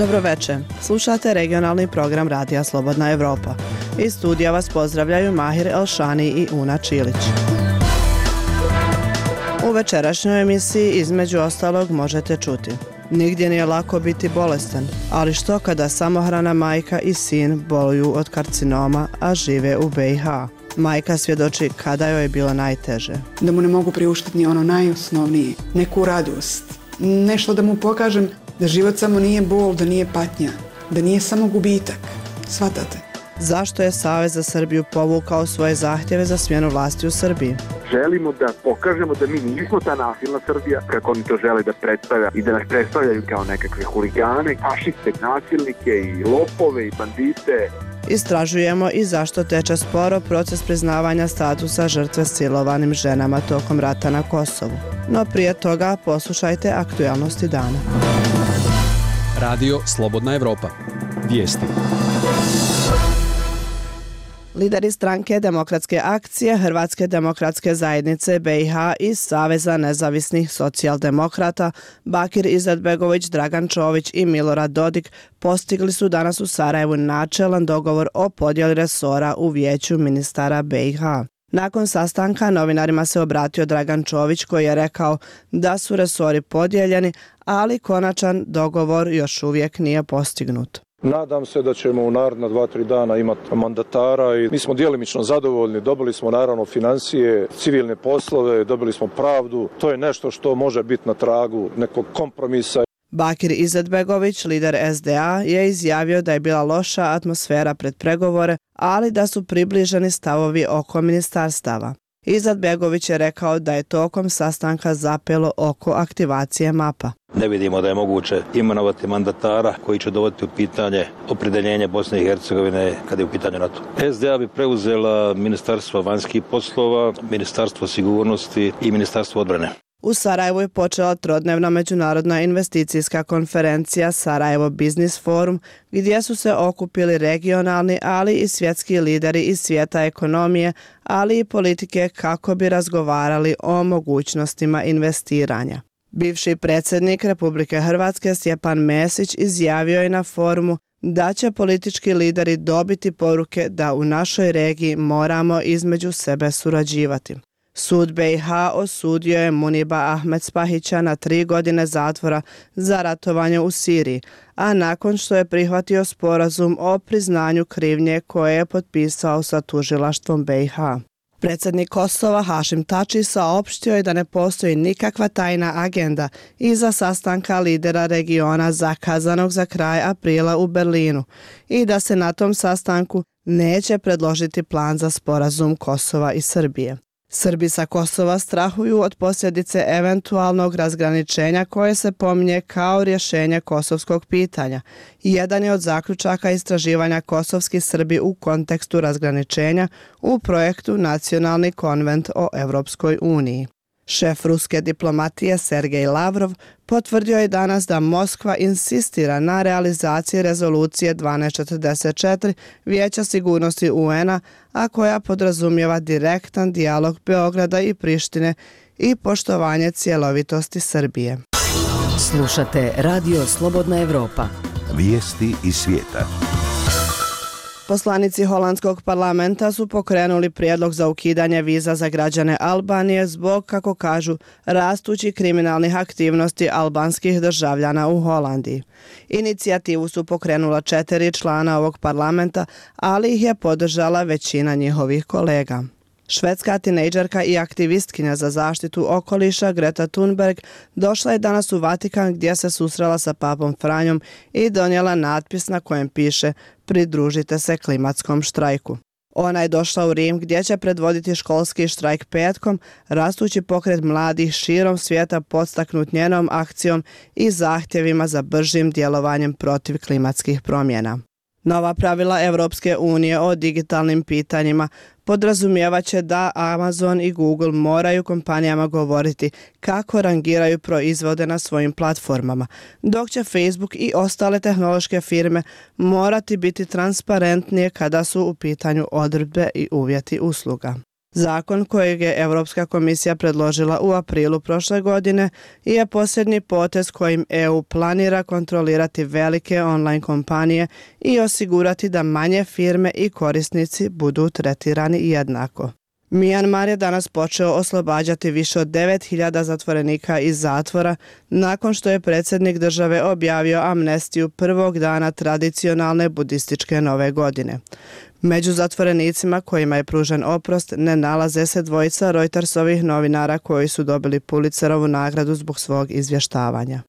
Dobroveče, slušate regionalni program Radija Slobodna Evropa. Iz studija vas pozdravljaju Mahir Elšani i Una Čilić. U večerašnjoj emisiji između ostalog možete čuti: nigdje nije lako biti bolestan, ali što kada samohrana majka i sin boluju od karcinoma, a žive u BiH? Majka svjedoči kada joj je bilo najteže. Da mu ne mogu priuštiti ni ono najosnovnije, neku radost, nešto da mu pokažem da život samo nije bol, da nije patnja, da nije samo gubitak. Shvatate? Zašto je Savez za Srbiju povukao svoje zahtjeve za smjenu vlasti u Srbiji? Želimo da pokažemo da mi nismo ta nasilna Srbija, kako oni to žele da predstavlja i da nas predstavljaju kao nekakve huligane, fašiste, nasilnike i lopove i bandite. Istražujemo i zašto teče sporo proces priznavanja statusa žrtve silovanim ženama tokom rata na Kosovu. No prije toga poslušajte aktualnosti dana. Radio Slobodna Evropa. Vijesti. Lideri stranke Demokratske akcije, Hrvatske demokratske zajednice BiH i Saveza nezavisnih socijaldemokrata Bakir Izetbegović, Dragan Čović i Milorad Dodik postigli su danas u Sarajevu načelan dogovor o podjeli resora u vijeću ministara BiH. Nakon sastanka novinarima se obratio Dragan Čović koji je rekao da su resori podijeljeni, ali konačan dogovor još uvijek nije postignut. Nadam se da ćemo u naredna 2-3 dana imati mandatara i mi smo djelimično zadovoljni. Dobili smo naravno financije, civilne poslove, dobili smo pravdu. To je nešto što može biti na tragu nekog kompromisa. Bakir Izetbegović, lider SDA, je izjavio da je bila loša atmosfera pred pregovore, ali da su približeni stavovi oko ministarstava. Izetbegović je rekao da je tokom sastanka zapelo oko aktivacije mapa. Ne vidimo da je moguće imenovati mandatara koji će dovoditi u pitanje opredjeljenje Bosne i Hercegovine kada je u pitanju NATO. SDA bi preuzela Ministarstvo vanjskih poslova, Ministarstvo sigurnosti i Ministarstvo odbrane. U Sarajevu je počela trodnevna međunarodna investicijska konferencija Sarajevo Business Forum, gdje su se okupili regionalni, ali i svjetski lideri iz svijeta ekonomije, ali i politike kako bi razgovarali o mogućnostima investiranja. Bivši predsjednik Republike Hrvatske Stjepan Mesić izjavio je na forumu da će politički lideri dobiti poruke da u našoj regiji moramo između sebe surađivati. Sud BiH osudio je Muniba Ahmed Spahića na 3 godine zatvora za ratovanje u Siriji, a nakon što je prihvatio sporazum o priznanju krivnje koje je potpisao sa tužilaštvom BiH. Predsjednik Kosova Hašim Tači saopštio je da ne postoji nikakva tajna agenda iza sastanka lidera regiona zakazanog za kraj aprila u Berlinu i da se na tom sastanku neće predložiti plan za sporazum Kosova i Srbije. Srbi sa Kosova strahuju od posljedice eventualnog razgraničenja koje se pominje kao rješenje kosovskog pitanja. Jedan je od zaključaka istraživanja kosovski Srbi u kontekstu razgraničenja u projektu Nacionalni konvent o Evropskoj uniji. Šef ruske diplomatije Sergej Lavrov potvrdio je danas da Moskva insistira na realizaciji rezolucije 1244 Vijeća sigurnosti UN-a, a koja podrazumijeva direktan dijalog Beograda i Prištine i poštovanje cjelovitosti Srbije. Slušate Radio Slobodna Evropa. Vijesti iz svijeta. Poslanici holandskog parlamenta su pokrenuli prijedlog za ukidanje viza za građane Albanije zbog, kako kažu, rastućih kriminalnih aktivnosti albanskih državljana u Holandiji. Inicijativu su pokrenula 4 člana ovog parlamenta, ali ih je podržala većina njihovih kolega. Švedska tinejdžerka i aktivistkinja za zaštitu okoliša Greta Thunberg došla je danas u Vatikan gdje se susrela sa papom Franjom i donijela natpis na kojem piše "Pridružite se klimatskom štrajku". Ona je došla u Rim gdje će predvoditi školski štrajk petkom, rastući pokret mladih širom svijeta podstaknut njenom akcijom i zahtjevima za bržim djelovanjem protiv klimatskih promjena. Nova pravila Europske unije o digitalnim pitanjima podrazumijevat će da Amazon i Google moraju kompanijama govoriti kako rangiraju proizvode na svojim platformama, dok će Facebook i ostale tehnološke firme morati biti transparentnije kada su u pitanju odredbe i uvjeti usluga. Zakon kojeg je Europska komisija predložila u aprilu prošle godine je posljednji potez kojim EU planira kontrolirati velike online kompanije i osigurati da manje firme i korisnici budu tretirani jednako. Mijanmar je danas počeo oslobađati više od 9.000 zatvorenika iz zatvora nakon što je predsjednik države objavio amnestiju prvog dana tradicionalne budističke nove godine. Među zatvorenicima kojima je pružen oprost ne nalaze se dvojica Reutersovih novinara koji su dobili Pulitzerovu nagradu zbog svog izvještavanja.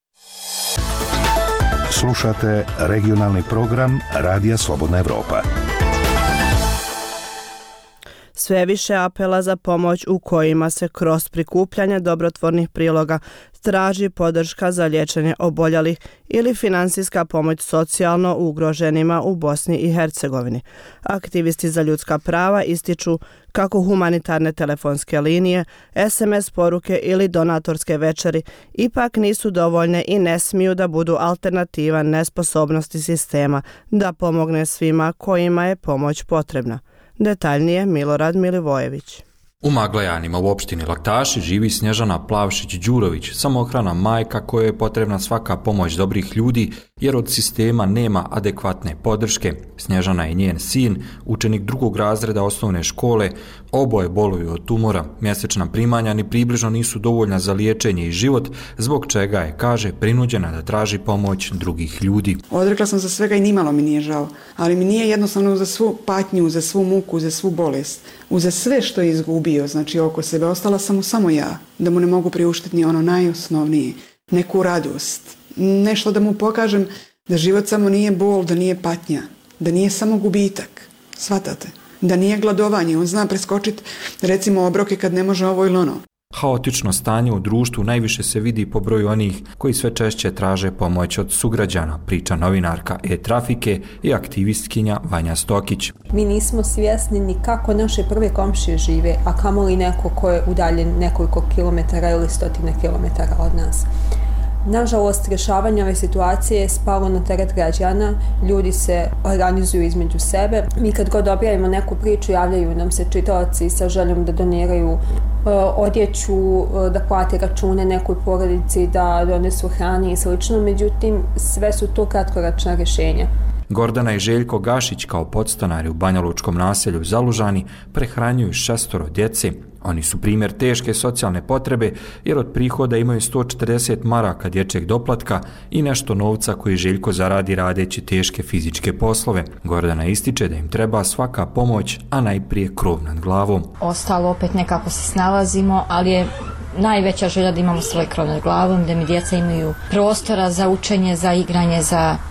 Slušate regionalni program Radija Slobodna Evropa. Sve više apela za pomoć u kojima se kroz prikupljanje dobrotvornih priloga traži podrška za liječenje oboljelih ili financijska pomoć socijalno ugroženima u Bosni i Hercegovini. Aktivisti za ljudska prava ističu kako humanitarne telefonske linije, SMS poruke ili donatorske večeri ipak nisu dovoljne i ne smiju da budu alternativa nesposobnosti sistema da pomogne svima kojima je pomoć potrebna. Detaljnije Milorad Milivojević. U Maglajanima u opštini Laktaši živi Snježana Plavšić-Đurović, samohrana majka kojoj je potrebna svaka pomoć dobrih ljudi jer od sistema nema adekvatne podrške. Snježana i njen sin, učenik 2. razreda osnovne škole, oboje boluju od tumora. Mjesečna primanja ni približno nisu dovoljna za liječenje i život, zbog čega je, kaže, prinuđena da traži pomoć drugih ljudi. Odrekla sam se svega i nimalo mi nije žao, ali mi nije jednostavno za svu patnju, za svu muku, za svu bolest, za sve što je izgubio, znači oko sebe, ostala sam mu samo ja, da mu ne mogu priuštiti ni ono najosnovnije, neku radost, nešto da mu pokažem da život samo nije bol, da nije patnja, da nije samo gubitak, shvatate, da nije gladovanje, on zna preskočiti recimo obroke kad ne može ovo ili ono. Haotično stanje u društvu najviše se vidi po broju onih koji sve češće traže pomoć od sugrađana, priča novinarka E-Trafike i aktivistkinja Vanja Stokić. Mi nismo svjesni ni kako naše prve komšije žive, a kamoli neko ko je udaljen nekoliko kilometara ili stotine kilometara od nas. Nažalost, rješavanje ove situacije je spalo na teret građana, ljudi se organizuju između sebe. Mi kad god objavimo neku priču, javljaju nam se čitaoci sa željom da doniraju odjeću, da plate račune nekoj porodici, da donesu hrane i slično, međutim sve su to kratkoročna rješenja. Gordana i Željko Gašić kao podstanari u banjalučkom naselju Zalužani prehranjuju 6 djece. Oni su primjer teške socijalne potrebe jer od prihoda imaju 140 maraka dječjeg doplatka i nešto novca koji Željko zaradi radeći teške fizičke poslove. Gordana ističe da im treba svaka pomoć, a najprije krov nad glavom. Ostalo opet nekako se snalazimo, ali je najveća želja da imamo svoj krov nad glavom, da mi djeca imaju prostora za učenje, za igranje,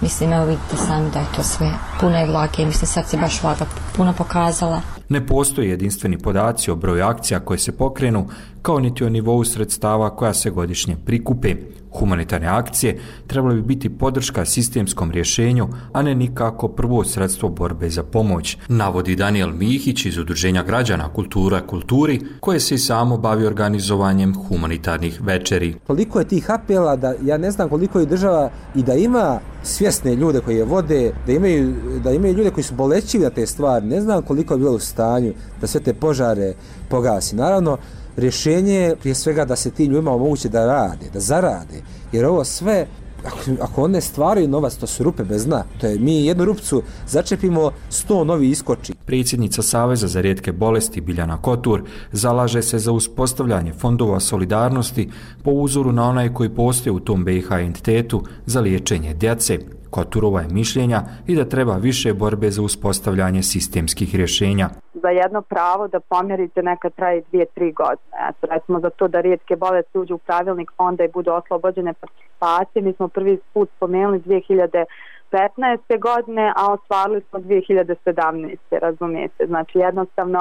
mislim, evo vidite sami da je to sve puno je vlage, mislim sad se baš vlaga puno pokazala. Ne postoje jedinstveni podaci o broju akcija koje se pokrenu, kao niti o nivou sredstava koja se godišnje prikupe. Humanitarne akcije trebali bi biti podrška sistemskom rješenju, a ne nikako prvo sredstvo borbe za pomoć, navodi Daniel Mihić iz Udruženja građana Kultura kulturi, koje se i samo bavi organizovanjem humanitarnih večeri. Koliko je tih apela da ja ne znam koliko je država i da ima svjesne ljude koji je vode, da imaju ljude koji su bolećivi na te stvari, ne znam koliko je bilo u stanju da sve te požare pogasi. Naravno, rješenje je prije svega da se ti ljudima omoguće da rade, da zarade, jer ovo sve, ako one stvaraju novac, to su rupe bez dna. To je, mi jednu rupcu začepimo, 100 novi iskoči. Predsjednica Saveza za rijetke bolesti Biljana Kotur zalaže se za uspostavljanje fondova solidarnosti po uzoru na onaj koji postoje u tom BiH entitetu za liječenje djece. Koturova je mišljenja i da treba više borbe za uspostavljanje sistemskih rješenja. Za jedno pravo da pomjerite nekad traje 2-3 godine. Recimo za to da rijetke bolesti uđu u pravilnik fonda i budu oslobođene participacije. Mi smo prvi put spomenuli 2015. godine, a ostvarili smo 2017. razumijete. Znači jednostavno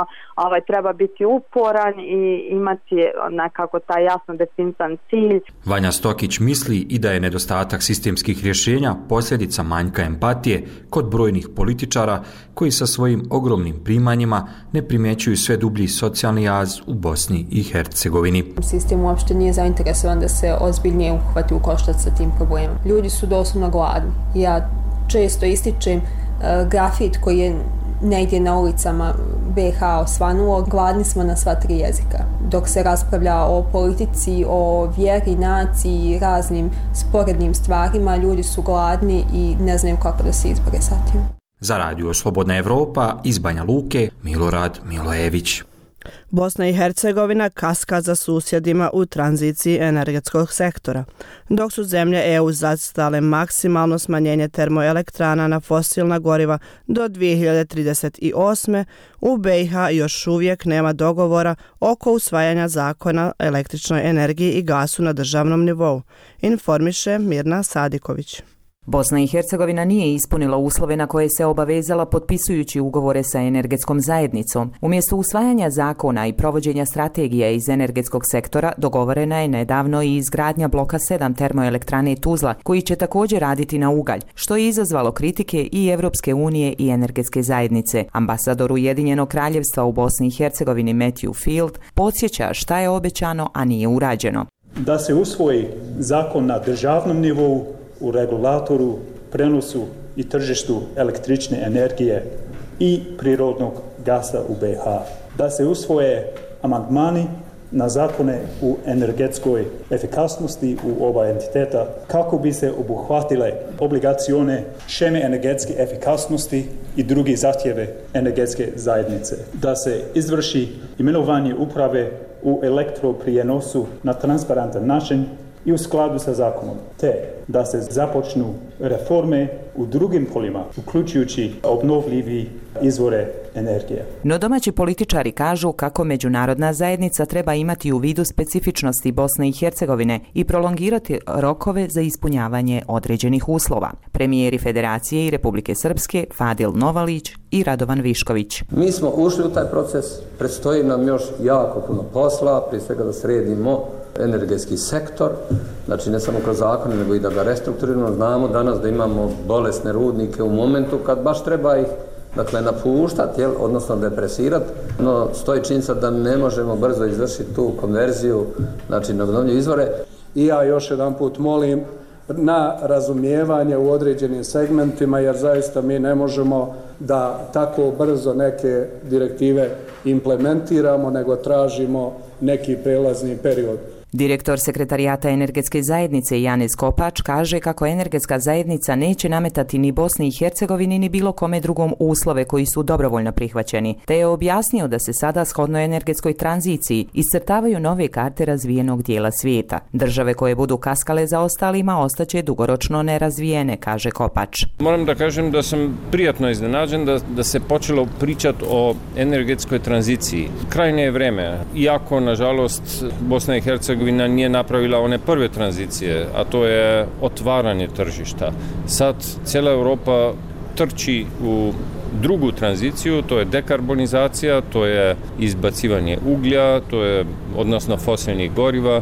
treba biti uporan i imati nekako taj jasno definisan cilj. Vanja Stokić misli i da je nedostatak sistemskih rješenja posljedica manjka empatije kod brojnih političara koji sa svojim ogromnim primanjima ne primjećuju sve dublji socijalni jaz u Bosni i Hercegovini. Sistem uopšte nije zainteresovan da se ozbiljnije uhvati u koštac sa tim problemom. Ljudi su doslovno gladni. Ja često ističem grafit koji je negdje na ulicama BiH osvanulo, gladni smo na sva tri jezika. Dok se raspravlja o politici, o vjeri, naciji, raznim sporednim stvarima, ljudi su gladni i ne znaju kako da se izbore sa tim. Za Radio Slobodna Evropa iz Banja Luke, Milorad Milojević. Bosna i Hercegovina kaska za susjedima u tranziciji energetskog sektora. Dok su zemlje EU zacrtale maksimalno smanjenje termoelektrana na fosilna goriva do 2038. u BiH još uvijek nema dogovora oko usvajanja zakona o električnoj energiji i gasu na državnom nivou, informiše Mirna Sadiković. Bosna i Hercegovina nije ispunila uslove na koje se obavezala potpisujući ugovore sa energetskom zajednicom. Umjesto usvajanja zakona i provođenja strategije iz energetskog sektora, dogovorena je nedavno i izgradnja bloka 7 termoelektrane Tuzla, koji će također raditi na ugalj, što je izazvalo kritike i Evropske unije i energetske zajednice. Ambasador Ujedinjenog kraljevstva u Bosni i Hercegovini Matthew Field podsjeća šta je obećano, a nije urađeno. Da se usvoji zakon na državnom nivou, u regulatoru, prenosu i tržištu električne energije i prirodnog gasa u BiH. Da se usvoje amandmani na zakone u energetskoj efikasnosti u oba entiteta kako bi se obuhvatile obligacione šeme energetske efikasnosti i drugi zahtjeve energetske zajednice. Da se izvrši imenovanje uprave u elektroprijenosu na transparentan način i u skladu sa zakonom, te da se započnu reforme u drugim poljima, uključujući obnovljivi izvore energije. No domaći političari kažu kako međunarodna zajednica treba imati u vidu specifičnosti Bosne i Hercegovine i prolongirati rokove za ispunjavanje određenih uslova. Premijeri Federacije i Republike Srpske Fadil Novalić i Radovan Višković. Mi smo ušli u taj proces, predstoji nam još jako puno posla, prije svega da sredimo energetski sektor, znači ne samo kroz zakone, nego i da ga restrukturiramo. Znamo danas da imamo bolesne rudnike u momentu kad baš treba ih napuštati, odnosno depresirati, no stoji činjenica da ne možemo brzo izvršiti tu konverziju, znači na obnovljive izvore. I ja još jedan put molim na razumijevanje u određenim segmentima, jer zaista mi ne možemo da tako brzo neke direktive implementiramo, nego tražimo neki prelazni period. Direktor Sekretarijata energetske zajednice Janez Kopač kaže kako energetska zajednica neće nametati ni Bosni i Hercegovini ni bilo kome drugom uslove koji su dobrovoljno prihvaćeni, te je objasnio da se sada shodno energetskoj tranziciji iscrtavaju nove karte razvijenog dijela svijeta. Države koje budu kaskale za ostalima ostaće dugoročno nerazvijene, kaže Kopač. Moram da kažem da sam prijatno iznenađen da se počelo pričati o energetskoj tranziciji. Krajnje je vreme, iako nažalost Bosna i Hercegovina nije napravila one prve tranzicije, a to je otvaranje tržišta. Sad cijela Europa trči u drugu tranziciju, to je dekarbonizacija, to je izbacivanje uglja, to je odnosno fosilnih goriva,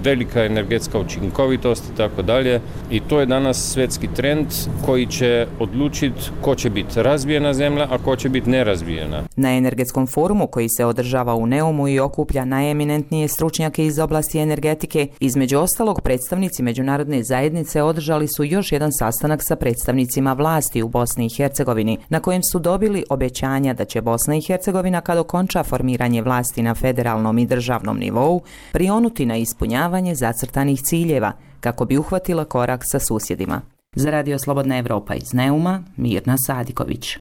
velika energetska učinkovitost i tako dalje. I to je danas svjetski trend koji će odlučiti ko će biti razvijena zemlja, a ko će biti nerazvijena. Na energetskom forumu koji se održava u Neumu i okuplja najeminentnije stručnjake iz oblasti energetike, između ostalog predstavnici međunarodne zajednice održali su još jedan sastanak sa predstavnicima vlasti u Bosni i Hercegovini, na kojem su dobili obećanja da će Bosna i Hercegovina kad okonča formiranje vlasti na federalnom i državnom nivou prionuti na ispunjavanje zacrtanih ciljeva kako bi uhvatila korak sa susjedima. Za Radio Slobodna Evropa iz Neuma, Mirna Sadiković.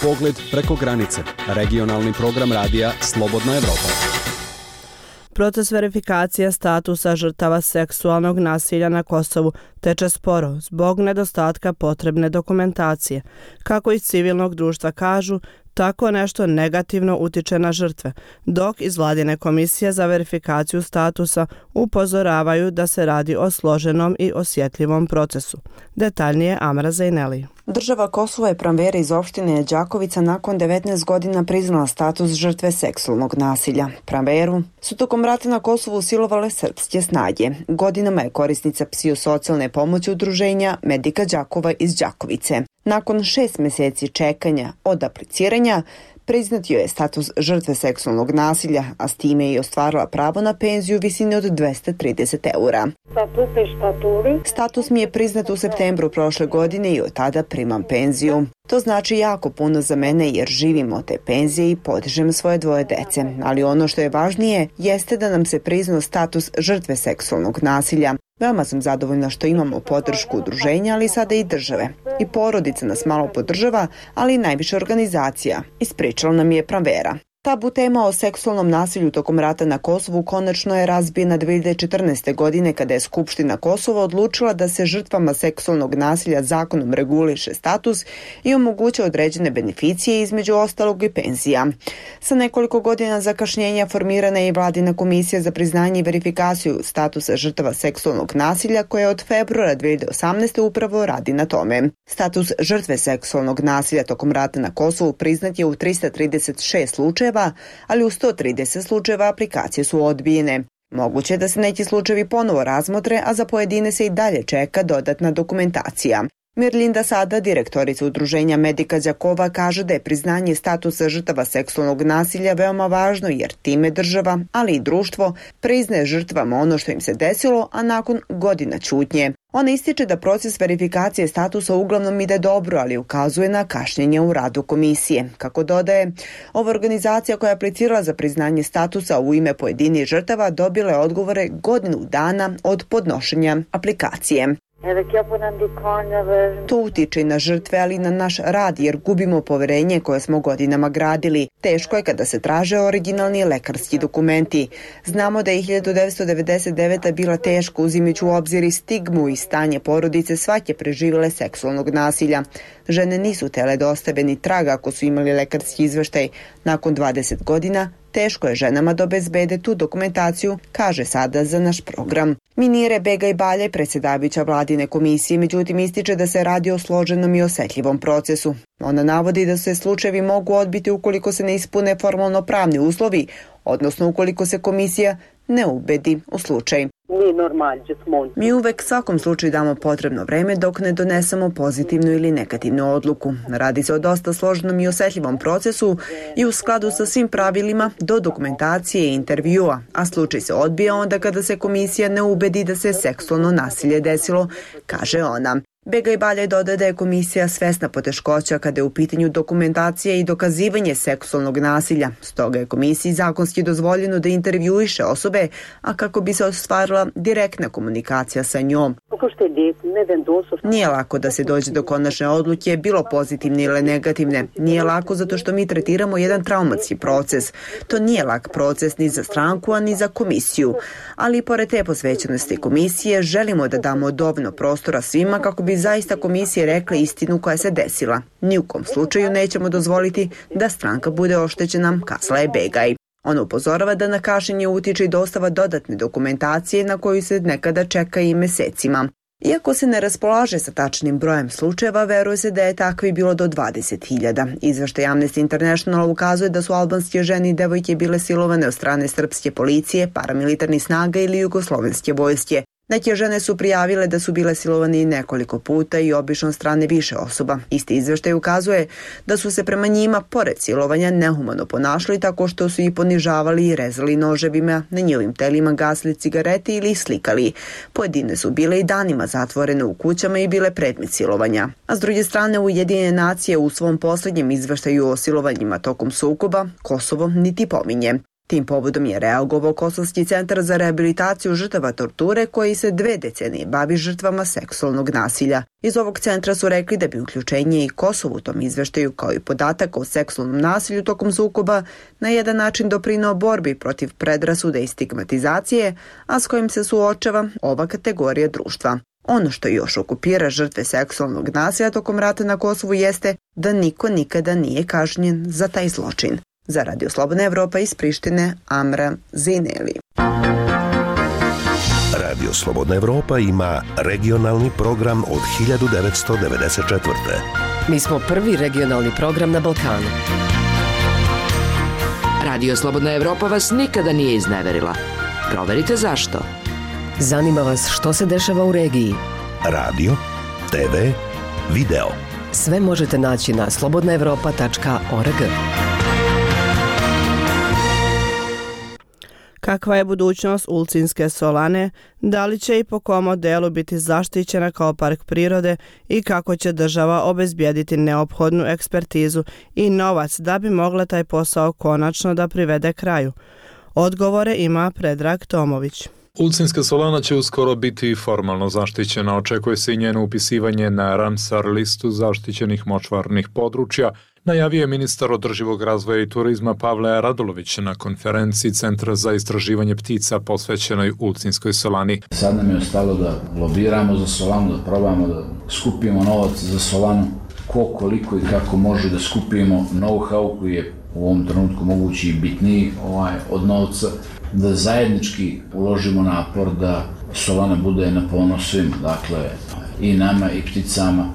Pogled preko granice. Regionalni program radija Slobodna Evropa. Proces verifikacije statusa žrtava seksualnog nasilja na Kosovu teče sporo zbog nedostatka potrebne dokumentacije. Kako iz civilnog društva kažu, tako nešto negativno utiče na žrtve, dok iz vladine komisije za verifikaciju statusa upozoravaju da se radi o složenom i osjetljivom procesu. Detaljnije Amra Zajneli. Država Kosovo je Pramvera iz opštine Đakovica nakon 19 godina priznala status žrtve seksualnog nasilja. Pramveru su tokom rata na Kosovu silovale srpske snage. Godinama je korisnica psihosocijalne pomoći udruženja Medika Đakova iz Đakovice. Nakon 6 mjeseci čekanja od apliciranja, priznat joj je status žrtve seksualnog nasilja, a s time je i ostvarila pravo na penziju u visini od 230 eura. Status mi je priznat u septembru prošle godine i od tada primam penziju. To znači jako puno za mene jer živim od te penzije i podižem svoje 2 dece. Ali ono što je važnije jeste da nam se priznao status žrtve seksualnog nasilja. Veoma sam zadovoljna što imamo podršku udruženja, ali sada i države. I porodica nas malo podržava, ali i najviše organizacija. Ispričala nam je Pranvera. Tabu tema o seksualnom nasilju tokom rata na Kosovu konačno je razbijena 2014. godine kada je Skupština Kosova odlučila da se žrtvama seksualnog nasilja zakonom reguliše status i omoguće određene beneficije, između ostalog i penzija. Sa nekoliko godina zakašnjenja formirana je i vladina komisija za priznanje i verifikaciju statusa žrtava seksualnog nasilja koja od februara 2018. upravo radi na tome. Status žrtve seksualnog nasilja tokom rata na Kosovu priznat je u 336 slučajeva, ali u 130 slučajeva aplikacije su odbijene. Moguće je da se neki slučajevi ponovo razmotre, a za pojedine se i dalje čeka dodatna dokumentacija. Mirlinda Sada, direktorica udruženja Medika Đakova, kaže da je priznanje statusa žrtava seksualnog nasilja veoma važno jer time država, ali i društvo, priznaje žrtvama ono što im se desilo, a nakon godina ćutnje. Ona ističe da proces verifikacije statusa uglavnom ide dobro, ali ukazuje na kašnjenje u radu komisije. Kako dodaje, ova organizacija koja je aplicirala za priznanje statusa u ime pojedinih žrtava dobila je odgovore godinu dana od podnošenja aplikacije. To utiče i na žrtve, ali i na naš rad jer gubimo poverenje koje smo godinama gradili. Teško je kada se traže originalni lekarski dokumenti. Znamo da je 1999. bila teško uzimajući u obzir i stigmu i stanje porodice svake preživjele seksualnog nasilja. Žene nisu tele da ostave ni traga ako su imali lekarski izveštaj. Nakon 20 godina teško je ženama da obezbede tu dokumentaciju, kaže Sada za naš program. Minire Begaj Baljaj, predsjedavajuća vladine komisije, međutim ističe da se radi o složenom i osjetljivom procesu. Ona navodi da se slučajevi mogu odbiti ukoliko se ne ispune formalno pravni uslovi, odnosno ukoliko se komisija ne ubedi u slučaj. Mi uvek svakom slučaju damo potrebno vreme dok ne donesemo pozitivnu ili negativnu odluku. Radi se o dosta složenom i osjetljivom procesu i u skladu sa svim pravilima do dokumentacije i intervjua, a slučaj se odbija onda kada se komisija ne ubedi da se seksualno nasilje desilo, kaže ona. Begaj Baljaj dodaje da je komisija svesna poteškoća kada je u pitanju dokumentacija i dokazivanje seksualnog nasilja. Stoga je komisiji zakonski dozvoljeno da intervjuiše osobe, a kako bi se ostvarila direktna komunikacija sa njom. Nije lako da se dođe do konačne odluke, bilo pozitivne ili negativne. Nije lako zato što mi tretiramo jedan traumatski proces. To nije lak proces ni za stranku, a ni za komisiju. Ali pored te posvećenosti komisije, želimo da damo dovoljno prostora svima kako bi zaista komisije rekle istinu koja se desila. Ni u kom slučaju nećemo dozvoliti da stranka bude oštećena, kazala je Begaj. Ona upozorava da na kašnjenje utiče i dostava dodatne dokumentacije na koju se nekada čeka i mesecima. Iako se ne raspolaže sa tačnim brojem slučajeva, veruje se da je takvi bilo do 20.000. Izveštaj Amnesty International ukazuje da su albanske žene i devojke bile silovane od strane srpske policije, paramilitarnih snaga ili jugoslovenske vojske. Neke žene su prijavile da su bile silovane i nekoliko puta i obično od strane više osoba. Isti izveštaj ukazuje da su se prema njima, pored silovanja, nehumano ponašali tako što su ih ponižavali i rezali noževima, na njihovim telima gasili cigarete ili ih slikali. Pojedine su bile i danima zatvorene u kućama i bile predmet silovanja. A s druge strane, Ujedinjene nacije u svom posljednjem izveštaju o silovanjima tokom sukoba Kosovo niti pominje. Tim povodom je reagovao Kosovski centar za rehabilitaciju žrtava torture koji se 2 decenije bavi žrtvama seksualnog nasilja. Iz ovog centra su rekli da bi uključenje i Kosovo u tom izveštaju kao i podatak o seksualnom nasilju tokom sukoba na jedan način doprineo borbi protiv predrasude i stigmatizacije, a s kojim se suočava ova kategorija društva. Ono što još okupira žrtve seksualnog nasilja tokom rata na Kosovu jeste da niko nikada nije kažnjen za taj zločin. Za Radio Slobodna Evropa iz Prištine, Amra Zineli. Radio Slobodna Evropa ima regionalni program od 1994. Mi smo prvi regionalni program na Balkanu. Radio Slobodna Evropa vas nikada nije izneverila. Proverite zašto. Zanima vas što se dešava u regiji. Radio, TV, video. Sve možete naći na slobodnaevropa.org. Kakva je budućnost Ulcinske solane, da li će i po kom modelu biti zaštićena kao park prirode i kako će država obezbijediti neophodnu ekspertizu i novac da bi mogla taj posao konačno da privede kraju? Odgovore ima Predrag Tomović. Ulcinska solana će uskoro biti formalno zaštićena. Očekuje se i njeno upisivanje na Ramsar listu zaštićenih močvarnih područja, najavio je ministar održivog razvoja i turizma Pavle Radulović na konferenciji Centra za istraživanje ptica posvećenoj Ulcinskoj solani. Sad nam je ostalo da lobiramo za solanu, da probamo da skupimo novac za solanu, koliko i kako može da skupimo know-how koji je u ovom trenutku mogući i bitniji od novca, da zajednički uložimo napor da solana bude na ponos svima, dakle i nama i pticama,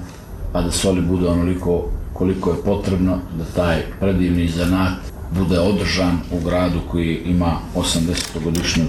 pa da soli bude onoliko koliko je potrebno da taj predivni zanat bude održan u gradu koji ima 80-godišnju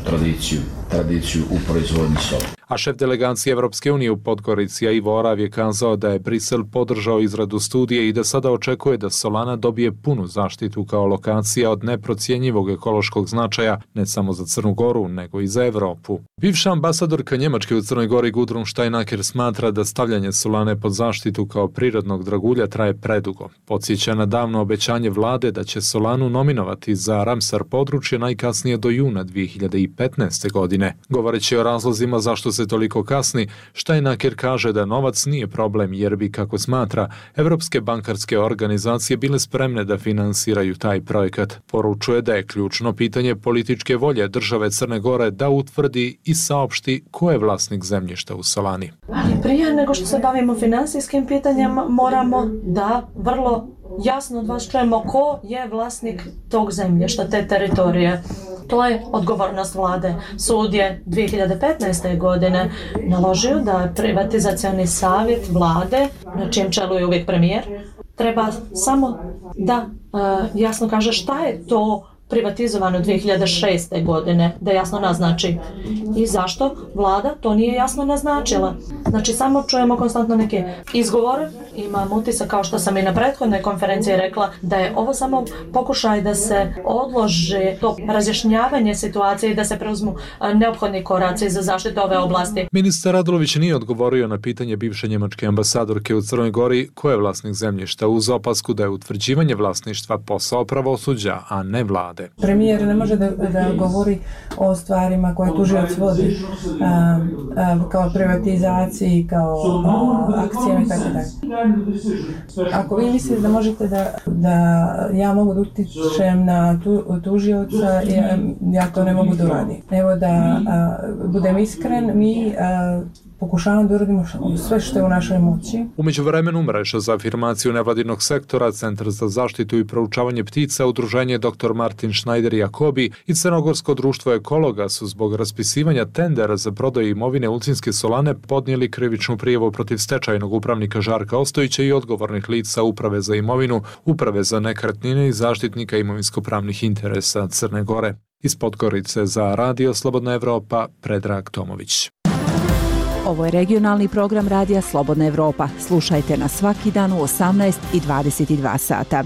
tradiciju u proizvodnji soli. A šef delegacije Evropske unije u Podgorici Ivo Orav je kazao da je Brisel podržao izradu studije i da sada očekuje da solana dobije punu zaštitu kao lokacija od neprocjenjivog ekološkog značaja ne samo za Crnu Goru, nego i za Evropu. Bivša ambasadorka Njemačke u Crnoj Gori Gudrun Steinaker smatra da stavljanje solane pod zaštitu kao prirodnog dragulja traje predugo. Podsjeća na davno obećanje vlade da će solanu nominovati za Ramsar područje najkasnije do juna 2015. godine. Govoreći o razlozima zašto se toliko kasni, Steinaker kaže da novac nije problem jer bi, kako smatra, evropske bankarske organizacije bile spremne da finansiraju taj projekat. Poručuje da je ključno pitanje političke volje države Crne Gore da utvrdi i saopšti ko je vlasnik zemljišta u solani. Ali prije nego što se bavimo finansijskim pitanjima, moramo da vrlo jasno od vas čujemo ko je vlasnik tog zemljišta, te teritorije. To je odgovornost vlade. Sud je 2015. godine naložio da privatizacioni savjet vlade, na čijem čelu je uvijek premijer, treba samo da jasno kaže šta je to privatizovano 2006. godine, da jasno naznači. I zašto vlada to nije jasno naznačila? Znači, samo čujemo konstantno neke izgovore. Imam utisak, kao što sam i na prethodnoj konferenciji rekla, da je ovo samo pokušaj da se odloži to razjašnjavanje situacije i da se preuzmu neophodni koraci za zaštitu ove oblasti. Ministar Radulović nije odgovorio na pitanje bivše njemačke ambasadorke u Crnoj Gori ko je vlasnik zemljišta, uz opasku da je utvrđivanje vlasništva posao pravosuđa, a ne vlade. Premijer ne može da govori o stvarima koje tužilac vodi, kao privatizaciji, kao akcijama i tako dalje. Ako vi mislite da možete da ja mogu da utičem na tužioca, ja to ne mogu da uradim. Evo da budem iskren, mi pokušavamo da uradimo sve što je u našoj moći. U međuvremenu mreža za afirmaciju nevladinog sektora, Centar za zaštitu i proučavanje ptica, udruženje Dr. Martin Schneider Jakobi i Crnogorsko društvo ekologa su zbog raspisivanja tendera za prodaju imovine Ulcinske solane podnijeli krivičnu prijavu protiv stečajnog upravnika Žarka Ostojića i odgovornih lica Uprave za imovinu, Uprave za nekretnine i zaštitnika imovinsko-pravnih interesa Crne Gore. Iz Podgorice za Radio Slobodna Evropa, Predrag Tomović. Ovo je regionalni program Radija Slobodna Evropa. Slušajte nas svaki dan u 18 i 22 sata.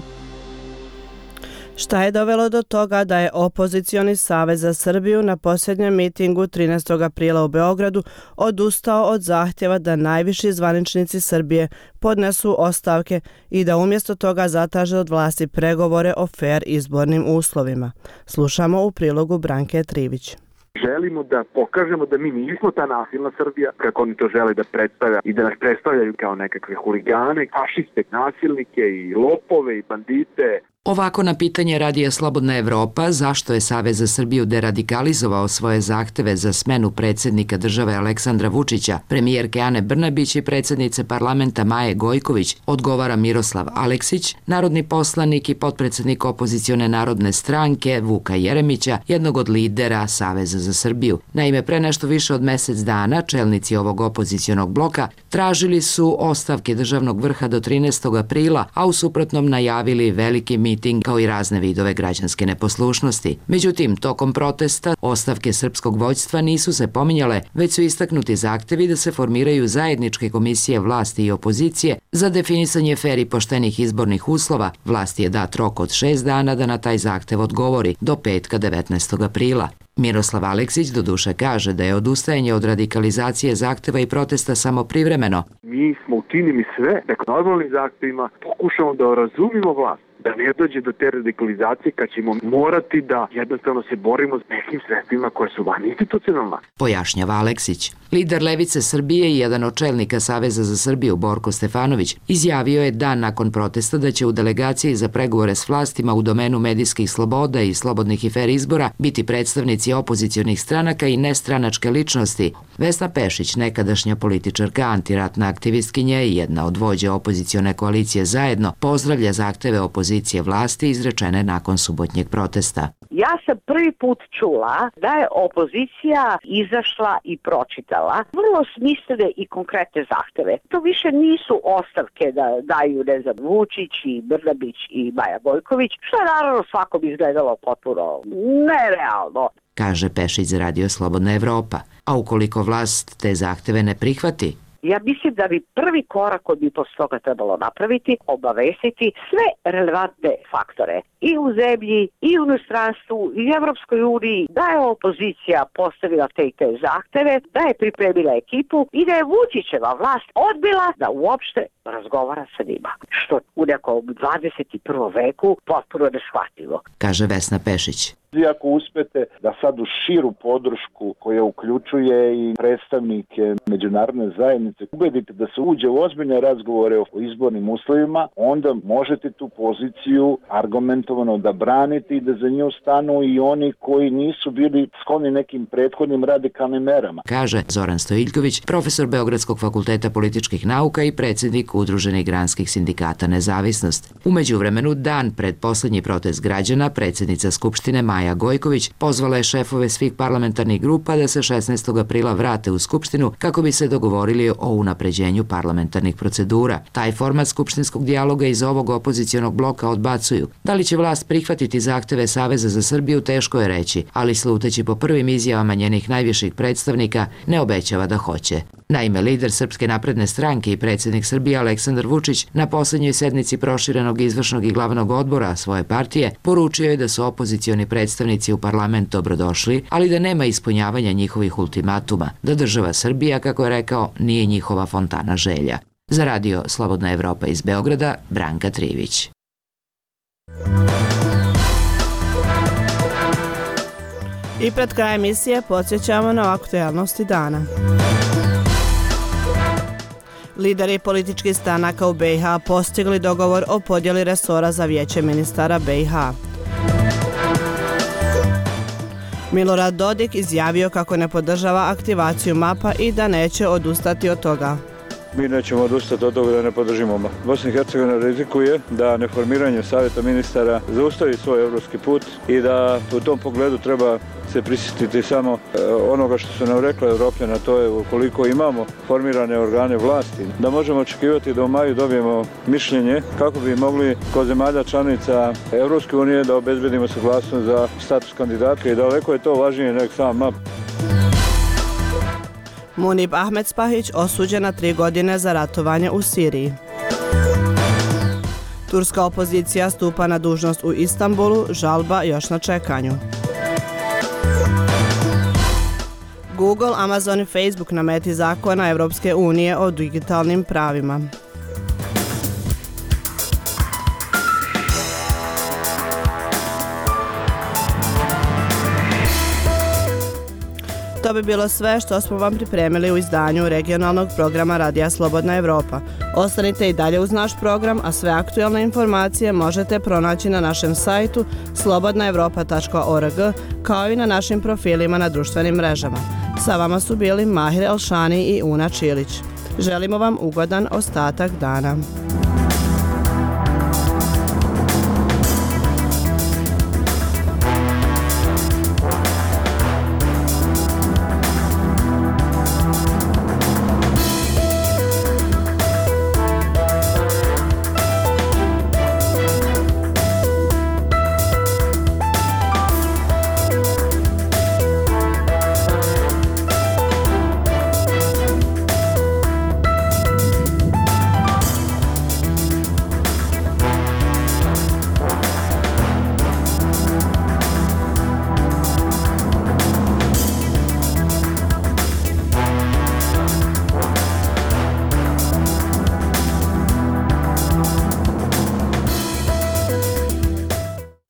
Šta je dovelo do toga da je opozicioni Savez za Srbiju na posljednjem mitingu 13. aprila u Beogradu odustao od zahtjeva da najviši zvaničnici Srbije podnesu ostavke i da umjesto toga zatraže od vlasti pregovore o fer izbornim uslovima? Slušamo u prilogu Branke Trivić. Želimo da pokažemo da mi nismo ta nasilna Srbija, kako oni to žele da predstavlja i da nas predstavljaju kao nekakve huligane, fašiste, nasilnike i lopove i bandite. Ovako na pitanje Radija Slobodna Evropa zašto je Savez za Srbiju deradikalizovao svoje zahteve za smenu predsjednika države Aleksandra Vučića, premijerke Ane Brnabić i predsjednice parlamenta Maje Gojković, odgovara Miroslav Aleksić, narodni poslanik i potpredsjednik opozicione narodne stranke Vuka Jeremića, jednog od lidera Saveza za Srbiju. Naime, pre nešto više od mjesec dana čelnici ovog opozicionog bloka tražili su ostavke državnog vrha do 13. aprila, a u suprotnom najavili veliki miting kao i razne vidove građanske neposlušnosti. Međutim, tokom protesta ostavke srpskog vođstva nisu se pominjale, već su istaknuti zahtevi da se formiraju zajedničke komisije vlasti i opozicije za definisanje fer i poštenih izbornih uslova. Vlasti je dat rok od 6 dana da na taj zahtev odgovori do petka 19. aprila. Miroslav Aleksić doduše kaže da je odustajanje od radikalizacije zahteva i protesta samo privremeno. Mi smo učinili sve da normalnim zahtevima pokušamo da razumimo vlast, da ne dođe do te radikalizacije kad ćemo morati da jednostavno se borimo s nekim sredstvima koje su van institucionalna. Pojašnjava Aleksić. Lider Levice Srbije i jedan od čelnika Saveza za Srbiju, Borko Stefanović, izjavio je dan nakon protesta da će u delegaciji za pregovore s vlastima u domenu medijskih sloboda i slobodnih i fer izbora biti predstavnici opozicionih stranaka i nestranačke ličnosti. Vesna Pešić, nekadašnja političarka, antiratna aktivistkinja i jedna od vođa opozicione koalicije Zajedno, pozdravlja zahteve opozicije vlasti izrečene nakon subotnjeg protesta. Ja sam prvi put čula da je opozicija izašla i pročitala vrlo smislene i konkretne zahteve. To više nisu ostavke da daju, ne znam, Vučić i Brnabić i Maja Gojković, što je naravno svakom izgledalo potpuno nerealno. Kaže Pešić za Radio Slobodna Evropa. A ukoliko vlast te zahteve ne prihvati, ja mislim da bi prvi korak koji bi posle toga trebalo napraviti, obavestiti sve relevantne faktore i u zemlji, i u inostranstvu, i u Evropskoj uniji, da je opozicija postavila te i te zahteve, da je pripremila ekipu i da je Vučićeva vlast odbila da uopšte razgovara sa njima. Što u nekom 21. veku potpuno neshvatljivo. Kaže Vesna Pešić. Ako uspete da sad u širu podršku koja uključuje i predstavnike međunarodne zajednice ubedite da se uđe u ozbiljne razgovore o izbornim uslovima, onda možete tu poziciju argumentovano da branite i da za nju stanu i oni koji nisu bili skloni nekim prethodnim radikalnim merama. Kaže Zoran Stojiljković, profesor Beogradskog fakulteta političkih nauka i predsjednik Udruženih granskih sindikata Nezavisnost. U međuvremenu, dan pred poslednji protest građana, predsjednica Skupštine Maja Gojković pozvala je šefove svih parlamentarnih grupa da se 16. aprila vrate u Skupštinu kako bi se dogovorili o unapređenju parlamentarnih procedura. Taj format skupštinskog dijaloga iz ovog opozicionog bloka odbacuju. Da li će vlast prihvatiti zahteve Saveza za Srbiju, teško je reći, ali sluteći po prvim izjavama njenih najviših predstavnika, ne obećava da hoće. Naime, lider Srpske napredne stranke i predsjednik Srbije Aleksandar Vučić na posljednjoj sednici proširenog izvršnog i glavnog odbora svoje partije poručio je da su opozicioni predstavnici u parlament dobrodošli, ali da nema ispunjavanja njihovih ultimatuma, da država Srbija, kako je rekao, nije njihova fontana želja. Za Radio Slobodna Evropa iz Beograda, Branka Trivić. I pred kraj emisije podsjećamo na aktualnosti dana. Lideri političkih stranaka u BiH postigli dogovor o podjeli resora za vijeće ministara BiH. Milorad Dodik izjavio kako ne podržava aktivaciju MAP-a i da neće odustati od toga. Mi nećemo odustati od toga da ne podržimo MAP. Bosna i Hercegovina rizikuje da neformiranje savjeta ministara zaustavi svoj evropski put i da u tom pogledu treba se prisjetiti samo onoga što su nam rekli Evropljani, to je ukoliko imamo formirane organe vlasti, da možemo očekivati da u maju dobijemo mišljenje kako bi mogli kod zemalja članica Evropske unije da obezbedimo saglasnost za status kandidata i daleko je to važnije nego sam MAP. Munib Ahmedspahić osuđen na 3 godine za ratovanje u Siriji. Turska opozicija stupa na dužnost u Istanbulu, žalba još na čekanju. Google, Amazon i Facebook na meti zakona Evropske unije o digitalnim pravima. To bi bilo sve što smo vam pripremili u izdanju regionalnog programa Radija Slobodna Evropa. Ostanite i dalje uz naš program, a sve aktualne informacije možete pronaći na našem sajtu slobodnaevropa.org kao i na našim profilima na društvenim mrežama. Sa vama su bili Mahir Elšani i Una Čilić. Želimo vam ugodan ostatak dana.